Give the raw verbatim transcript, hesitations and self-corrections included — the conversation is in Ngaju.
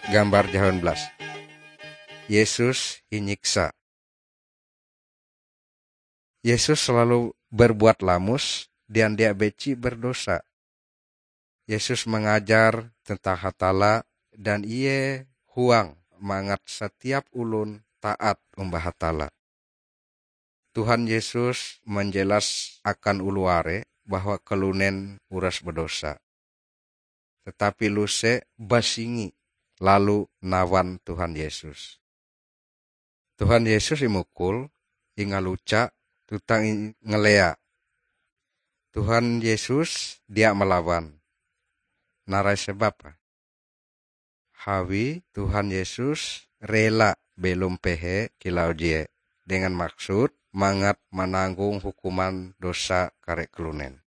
Gambar jahawan belas. Yesus inyiksa. Yesus selalu berbuat lamus dan dia beci berdosa. Yesus mengajar tentang Hatalla dan ie huang mangat setiap ulun taat umbah Hatalla. Tuhan Yesus menjelas akan oloh are bahwa kalunen uras berdosa. Tetapi Luse basingi lalu nawan Tuhan Yesus. Tuhan Yesus imukul, ingaluca, tuntang ingelea. Tuhan Yesus dia malawan. Narai sebab? Hawi Tuhan Yesus rela belom pehe kilau je dengan maksud mangat mananggong hukuman dosa kare kalunen.